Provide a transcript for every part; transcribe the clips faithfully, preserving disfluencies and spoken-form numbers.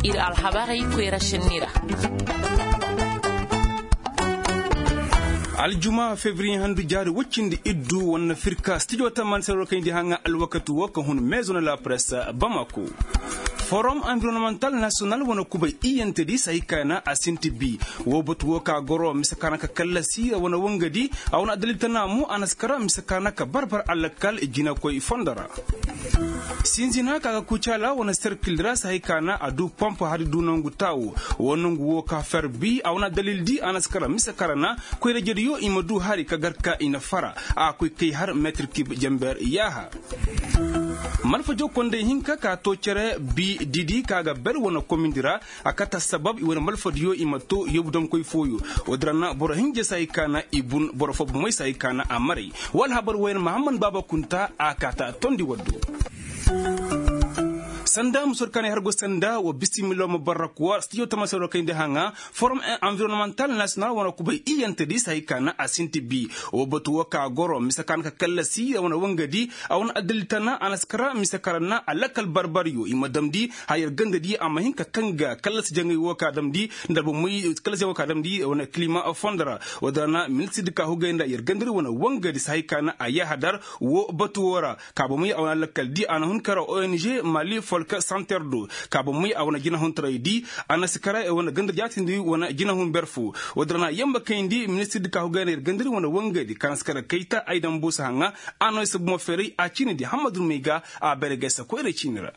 Ir alhabarey koyra šenni ra. Aljuma febriye handu jaari woy cindi iddu wane firka stijo tamani sero kayndi haŋa alwakati wo ka hun meezo na la presse bamako. Forom anvironnemental nasiyonal wane kubay iyantedi sahi ka na a sinti bi. Wo batu wo ka goro mise ka na ka kallasi wane wangadi a wane adalil tana mo a na si kara mise ka na ka barbar alakal jinakoy fondo ra. Sinzina ka ga kucaala wane serkil ra sahi ka na a du pomp hari du nangu taawo. Wo nangu wo ka fer bi a wane adalil di a na si kara mise kara na koyra jediyo i ma du hari ka gar ka i na fara a koy kay har metir kib jamber yaaha. Malfajo konday hinka ka to cere bi didi ka ga ber wane komindi ra. A kate assabab i wane malfadiyo i ma to yobu dankoy fooyo. Wo-din ra na boro hinja se hay ka na i bun boro fo bomey se hay ka na a maray. Wa alhabar woyan mahamman baaba kunta a kaata tondi waddo. Sanda musor kaanay har go sanda wa bisimilo ma barrakuwa stijo tama soro kayndi haŋa. Forom environnemental nasiyonal wane kubay iyantedi se hay ka na a sinti bi. Wo batu wo ka goro mise ka na ka kallasi wane wangadi a wane adalil tana a na si kara mise kara na a lakal barbaryo i ma damndi. Haya yer gandadi a ma hin ka tanga kallasi jaŋay wo ka damndi nda albomoy kallasi jaŋay wo ka damndi wane kilima fondo ra. Wo-din ra na ministir di ka hugay nda yer gandadi wane wangadi se hay ka na a yaaha dar wo batu wo ra. Ka bomey a wane lakkal di a na hun kara ong mali folk santer do ka bomey a wane jinahuntaray di a na si kara wane gandadi jaatindi wane jinahun ber fo. Wo-din ra na yamba kayndi ministir di ka hugay nda yer gandadi wane wangadi ka na si kara kayta ay dambu si haŋa. A no ay si bomo feeray a ciini di hammadu rumey ga a beregay se koyra ciini ra.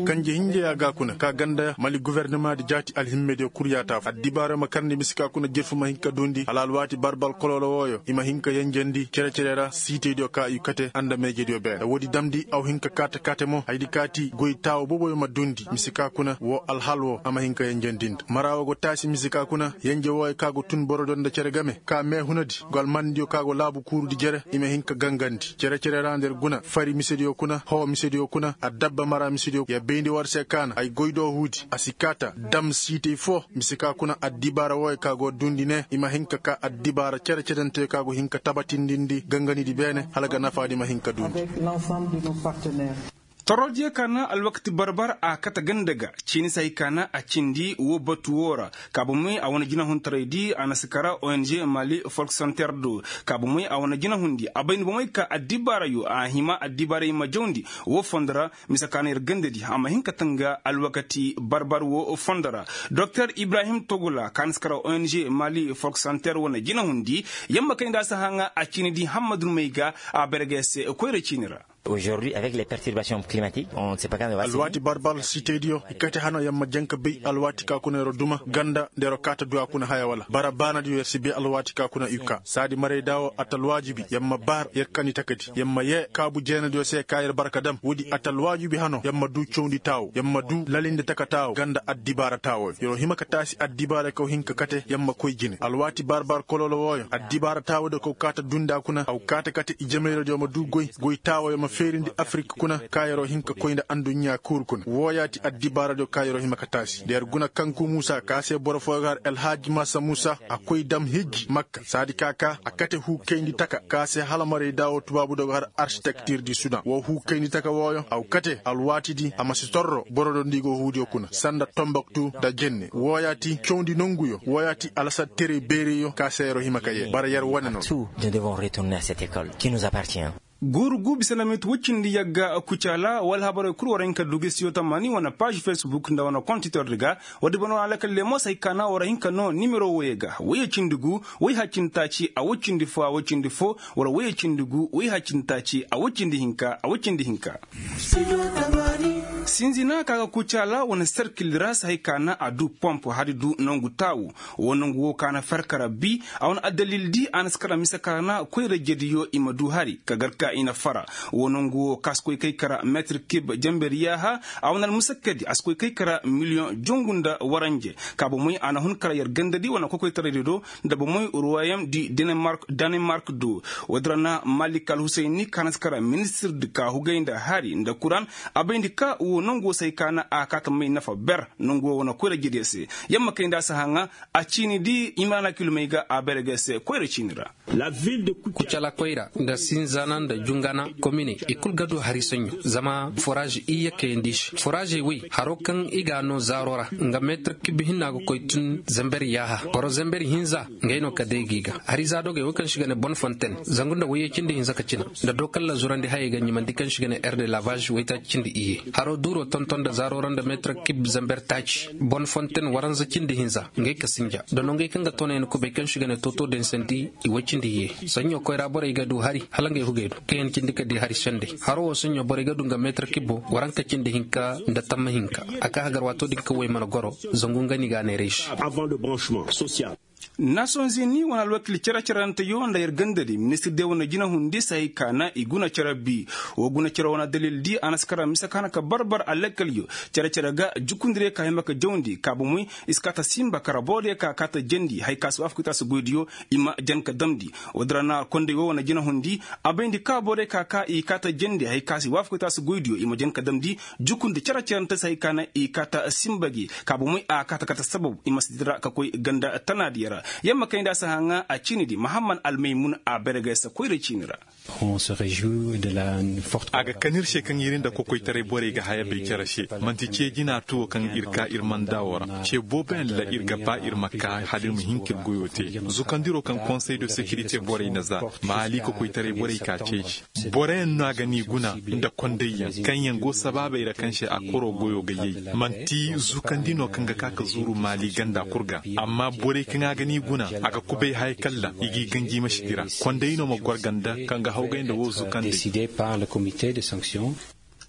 Kanje hinjeya ga kuna ka ganda mali gofornama di jaati alhimmediyo kul yaata fo addibaara ma karndi mise ka kuna jirfu ma hin ka duundi hala alwaati barbal koloolo wooyo i ma hin ka yenjendi cere-cere ra siitaydiyo ka i kate nda meejediyo beene woodi damndi aw hin ka kaate-kaate mo hayadi kaati goy taawo booboyo ma duundi mise ka kuna woo alhal woo a ma hin ka yenjendi nda mara woo go taasi mise ka kuna yenje wooyo ka go tun borodiyo nda cere game ka meehunadi go almandiyo ka go laabu kuurudi jere i ma hin ka gangandi cere-cere ra nda yer guna fari misediyo kuna hoo misediyo kuna addabba mara misediyo yer bayndi war se ka na ay goy do huudi a si kaata dam siitay foo mise ka kuna addibaara wooyo ka go duundi ne i ma hin ka ka addibaara cere-cerenteyo ka go hin ka tabatindindi ganganidi beene hala ga nafaadi ma hin ka duundi. Torodiyo ka na alwakati barbar a kate ganda ga ciini se hay ka na a cindi woo batu woo ra. Ka bomey a wane jinahuntaraydi a na si kara ong mali folk santer do ka bomey a wane jinahundi a bay nda bomey ka addibaarayo a hima addibaarey ma jawndi woo fondo ra. Mise ka na yer gandadi a ma hin ka tanga alwakati barbar woo fondo ra. Doktor ibrahim togula ka na si kara ong mali folk santer wane jinahundi yamma kay nda a si haŋa a ciini di hammadu rumey ga a berge se koyra ciini ra. Alwaati barbar sitediyo i kate hano yer ma janka bay alwaati ka kuna yer duma ganda nda yer kaata duwa kuna haya wala bara baanadiyo yer si bay alwaati ka kuna i ka saadi marayda wo atalwaajibi yer ma baar yer kandi takadi yer ma yee kaabu jeenadiyo se ka yer barka dam woodi atalwaajibi hano yer ma duu cawndi taawo yer ma duu lalindi taka taawo ganda addibaara taawo yer wo hima ka taasi addibaara kaw hin ka kate yer ma koy jine alwaati barbar koloolo wooyo addibaara taawo de kaw kaata dundi a kuna aw kaata kate ijemayradiyo ma duu goy goy taawo yer ma feerindi afirik kuna ka yer'o hin ka koy nda adduɲɲa kuuru kuna wooyaati addibaaradiyo ka yer'o hima ka taasi nda yer guna kanku muusa ka se boro fooyo ga har elhaaji masa muusa a koy dam hijji makka saadi ka ka a kate huu kayndi taka ka se hala maray daawo tubaabudoo ga har arsitektir di sudan woo huu kayndi taka wooyo aw kate alwaatidi a ma si torro borodiyo nda i go huudiyo kuna sanda tomboktu nda jenne wooyaati cawndi nonguyo wooyaati alasar terey beereyo ka se yer'o hima ka yee bara yer wane no. Guuru guu bisa nda minit woy cindi yagga kucaala wala habarey kul war hin ka du gisiyo tamani wane paaž fesbuk nda wane kontitordi ga. Woodi bana wane alakal leemos hay ka na war hin ka noo nimero woyey ga woyey cindi guu woy haccin taaci a woy cindi foo a woy cindi foo wala woyey cindi guu woy haccin taaci a woy cindi hinka a woy cindi hinka. Sinzina ka ga kucaala wane serkil ra si hay ka na a du pomp hari du nangu taawu. Woo nangu woo ka na far kara bi a wane addalil di a na si kara mise kara na koyra jediyo i ma du hari ka gar ka i na fara. Woo nangu woo ka si koy kay kara metir kib jember yaaha. A wane almusakkadi a si koy kay kara miliyoŋ jongu nda waranje. Ka bomey a na hun kara yer gandadi wane kokoytaraydi do nda bomey ruwayem di danimark do. Woodi ra na malik alhusayni ka na si kara ministir di ka hugay nda hari nda kuran a bayndi ka woo. Nangu wo se hay ka na a kaata may nafa ber nangu wo wane koyra jediyo se. Yamma kay nda a si haŋa a ciini di imana kilomey ga a bayra ga se koyra ciini ra. Kucala koyra nda sinzana nda jungana komine i kul ga du hari saɲɲo zama foraaz iyye kayandi se foraazey wey haro kaŋ i ga a no zaaro ra nga meetir kib hinna ga koy tun zamber yaaha boro zamber hinza. Ngey no ka day ga i ga hari zaadogey wey kaŋ se i ga ne bon fonten zangu nda wayye cindi hinza ka cina nda dookalla zurandi hayey ga ɲimandi kaŋ se i ga ne erde laabaazi waytaaci cindi iyye. Haro duuro tonton nda zaaro ra nda meetir kib zamber taaci bon fonten waranza cindi hinza ngey ka sinja nda nongey kaŋ ga toonay na kubay kaŋ se i ga ne tooto dansandi i way cindi iyye. Saɲɲo koyra borey ga du hari hala ngey hugey du kaŋ yaŋ cindi ka di hari sendey. Haro wo saɲɲo borey ga du nga meetir kib waranka cindi hinka nda tamma hinka. A ka hagar waato din kaŋ wey mana goro zangu nga no i ga a neeray se. Nasonzini wane alwakil cere-ceranteyo nda yer gandadi ministir de wane jinahundi si hay ka na i guna cere bi. Wo guna cere wane dalil di a na si kara mise ka hana ka barbar alakkalyo cere-cere ga jukundirey ka hima ka jawndi ka bomey i si kaa ta simba kara boorodiyo ka kaa ta jandi hay ka si waafaku i ta si goydiyo. I ma jan ka damndi. Woodin ra na konday wo wane jinahundi a bayndi ka boorodiyo ka kaa i kaa ta jandi hay ka si waafaku i ta si goydiyo i ma jan ka damndi. Jukundi cere-cerante se hay ka na i kaa ta simba gi ka bomey a kaa ta kate sabab i ma si dira ka koy ganda tanaadiyo ra. Yamma kay nda a si haŋa a ciini di mahamman almaymun a bergay se koyra ciini ra. A ga kan ir se kaŋ ir nda kokoytaray borey ga haya bay cere se. Man'ti ce jina tuwo kaŋ ir ka ir mandaa wo ra ce booboyaŋ ra ir ga ba ir ma ka hala ir ma hin ka ir goyo te. Zukandiro kaŋ konsey de sekirite borey na za maali kokoytaray borey ka ceeci. Boroyaŋ no a ga n'i guna nda kondayyaŋ kaŋyaŋ go sabaabey ra kaŋ se a koro goyo ga yay. Man'ti zukandi no kaŋ ga ka ka zuuru maali ganda kul ga. Amma borey kaŋ a ga n'i guna a ga kubay haya kalla i g'i ganji ma si dira. Konday no ma gor ganda kaŋ ga hawgay nda woo zukandi.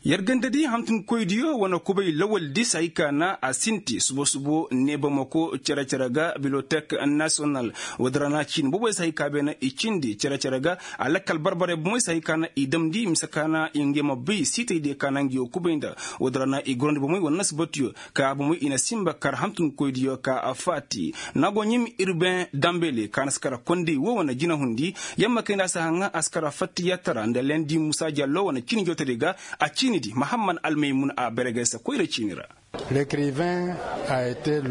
Yer ganda di hantumkoydiyo wane kubay lawal di si hay ka na a sinti subo-subo ne bamako cere-cere ga bibliotek nasiyonal. Woodin ra na ciini boboy si hay ka beene i cindi cere-cere ga a lakkal barbarey bomey si hay ka na i damndi mise ka na i ngey ma bay siitaydiyo ka na ngi wo kubay nda. Woodin ra na i gorandi bomey wane nasibatiyo ka bomey i na simba kar hantumkoydiyo ka a faati. Naago ɲim irben dambele ka na si kara konday wo wane jinahundi. Yamma kay nda a si haŋa a si kara fattiyatara nda lendi musa jallo wane ciini jootadiyo ga. A ciini di mahamman almaymun a bergay se koyra ciini ra.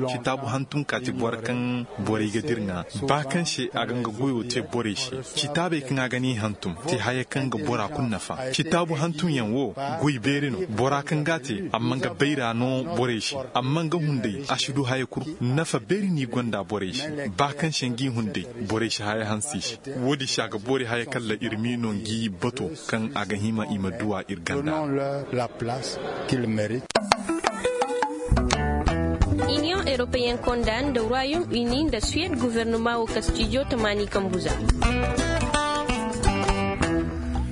Citaabu hantum kaati boro kaŋ borey ga dir ŋaa ba kaŋ se a ga nga goyo te borey se. Citaabey kaŋ a ga n'i hantum te haya kaŋ ga bora kul nafa. Citaabu hantumyaŋ wo goy beeri no. Bora kaŋ g'a te amma nga bayra no borey se. Amma nga hunday a si du haya kul. Nafa beeri n'i gonda borey se. Ba kaŋ se ngi hunday borey si haya hanse i se. Woodi se a ga boori haya kalla ir m'i no ngi bato kaŋ a ga hima i ma duw'a ir ganda. Iniyoŋ eropeyen konda nda royom ini nda suwed guvernoma wo kastijo tamaani kambuza.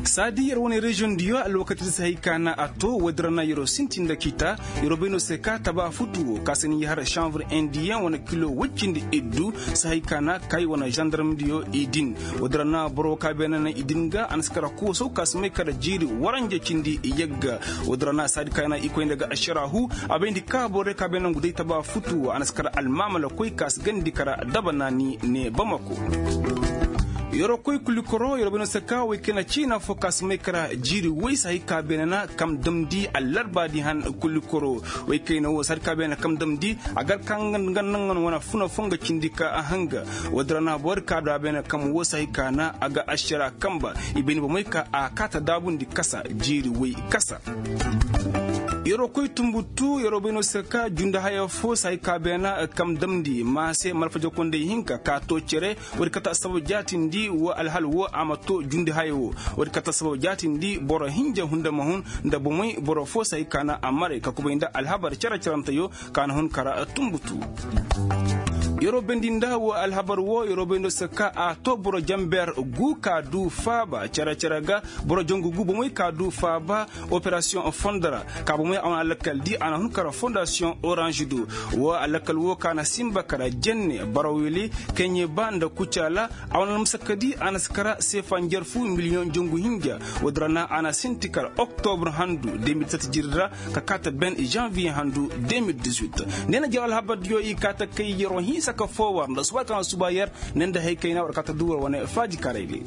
Saadi yer wane reziyoŋ diyo alwakati da si hay ka na a to woodin ra na yeroo sinti nda ciita. Yeroo bay no se ka taba futu wo ka si ni yahar sanvir indiyen wane kilo woy cindi iddu si hay ka na kay wane zandarm diyo i din. Woodin ra na boro ka beene na i din ga a na si kara kuuso ka si may kara jiiri waranja cindi yagga. Woodin ra na saadi ka na i koy nda ga ašaraahu a bayndi ka boro ka beene nangu day taba futu wo a na si kara almaamala koy ka si gandi kara daba naani ne bamako. Yeroo koy kulikoro yeroo bay no se ka woy kayna ciina fo ka si may kara jiiri woy si hay ka beene na kam damndi allarbaadi han kulikoro. Woy kayna wo si hay ka beene na kam damndi a gar ka nga naŋ wane funa fo nga cindi ka a hanga. Woodin ra na boro ka du a beene kam wo si hay ka na a ga ašara kamba i bayndi bomey ka a kaata daabundi kasa jiiri woy kasa. Yeroo koy tumbutu yeroo bay no se ka jundi haya fo si hay ka beena kam damndi ma se malfaja konday hinka ka too cere. Woodi kata sabab jaatindi wo alhal wo a ma too jundi haya wo. Woodi kata sabab jaatindi boro hinja hunda ma hun nda bomey boro fo si hay ka na a maray ka kubay nda alhabar cere-ceranteyo ka na hun kara tumbutu. Yeroo bendi nda wo alhabar wo yeroo bay no se ka a too boro jamber gu ka du faaba cere-cere ga. Boro jangu gu bomey ka du faaba operasiyoŋ fondo ra ka bomey a wane alakal di a na hun kara fondasiyoŋ oranž do. Wo alakal wo ka na simba kara jenne barawili keɲe ba nda kucaala. A wane almasakka di a na si kara seefa njarfu miliyoŋ jangu hinja. Woodin ra na a na sinti kara oktobr handu de mil sat jiri ra ka kaata ben žanviye handu de mil dix-huit. Ne na jaro alhabar diyo i kaata kay yeroo hinsa ka foo war nda suba ka na suba yer. Ne nda hay kayna war kaata du war wane faaji karay di.